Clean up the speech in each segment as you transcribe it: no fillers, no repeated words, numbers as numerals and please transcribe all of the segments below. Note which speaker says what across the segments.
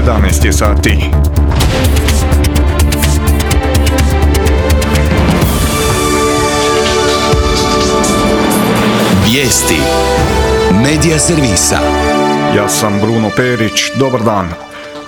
Speaker 1: 11 je sati.
Speaker 2: Vijesti Medija servisa.
Speaker 1: Ja sam Bruno Perić, dobar dan.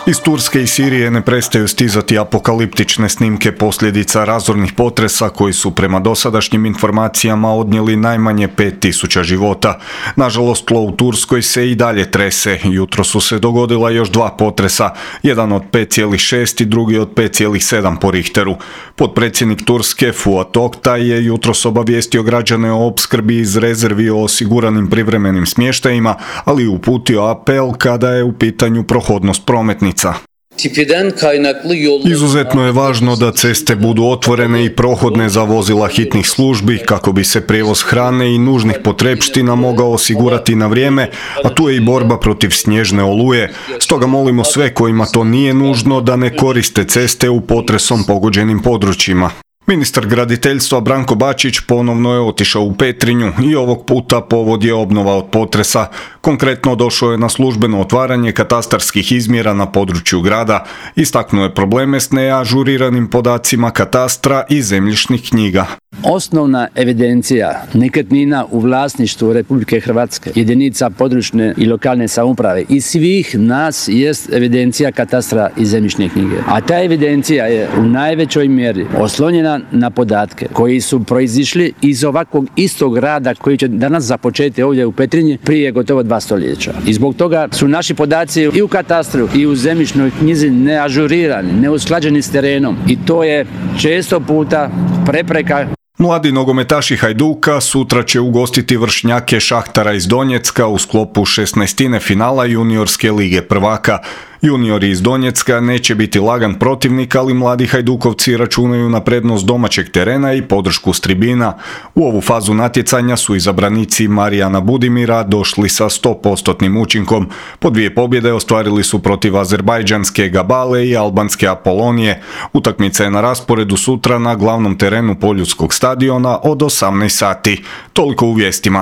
Speaker 1: Iz Turske i Sirije ne prestaju stizati apokaliptične snimke posljedica razornih potresa koji su prema dosadašnjim informacijama odnijeli najmanje 5000 života. Nažalost, tlo u Turskoj se i dalje trese. Jutro su se dogodila još 2 potresa, jedan od 5,6 i drugi od 5,7 po Richteru. Potpredsjednik Turske Fuat Oktay je jutros obavijestio građane o opskrbi iz rezervi o osiguranim privremenim smještajima, ali uputio apel kada je u pitanju prohodnost prometnica. Izuzetno je važno da ceste budu otvorene i prohodne za vozila hitnih službi kako bi se prijevoz hrane i nužnih potrepština mogao osigurati na vrijeme, a tu je i borba protiv snježne oluje. Stoga molimo sve kojima to nije nužno da ne koriste ceste u potresom pogođenim područjima. Ministar graditeljstva Branko Bačić ponovno je otišao u Petrinju i ovog puta povod je obnova od potresa. Konkretno došao je na službeno otvaranje katastarskih izmjera na području grada. Istaknuo je probleme s neažuriranim podacima katastra i zemljišnih knjiga.
Speaker 3: Osnovna evidencija nekretnina u vlasništvu Republike Hrvatske, jedinica područne i lokalne samouprave i svih nas jest evidencija katastra i zemljišne knjige. A ta evidencija je u najvećoj mjeri oslonjena na podatke koji su proizišli iz ovakvog istog rada koji će danas započeti ovdje u Petrinji prije gotovo 2 stoljeća. I zbog toga su naši podaci i u katastru i u zemljišnoj knjizi neažurirani, neusklađeni s terenom i to je često puta prepreka.
Speaker 1: Mladi nogometaši Hajduka sutra će ugostiti vršnjake Šahtara iz Donjecka u sklopu 16. finala juniorske lige prvaka. Juniori iz Donjecka neće biti lagan protivnik, ali mladi Hajdukovci računaju na prednost domaćeg terena i podršku s tribina. U ovu fazu natjecanja su izabranici Marijana Budimira došli sa 100% učinkom. Po 2 pobjede ostvarili su protiv azerbajdžanske Gabale i albanske Apolonije. Utakmica je na rasporedu sutra na glavnom terenu Poljudskog stadiona od 18 sati. Toliko u vijestima.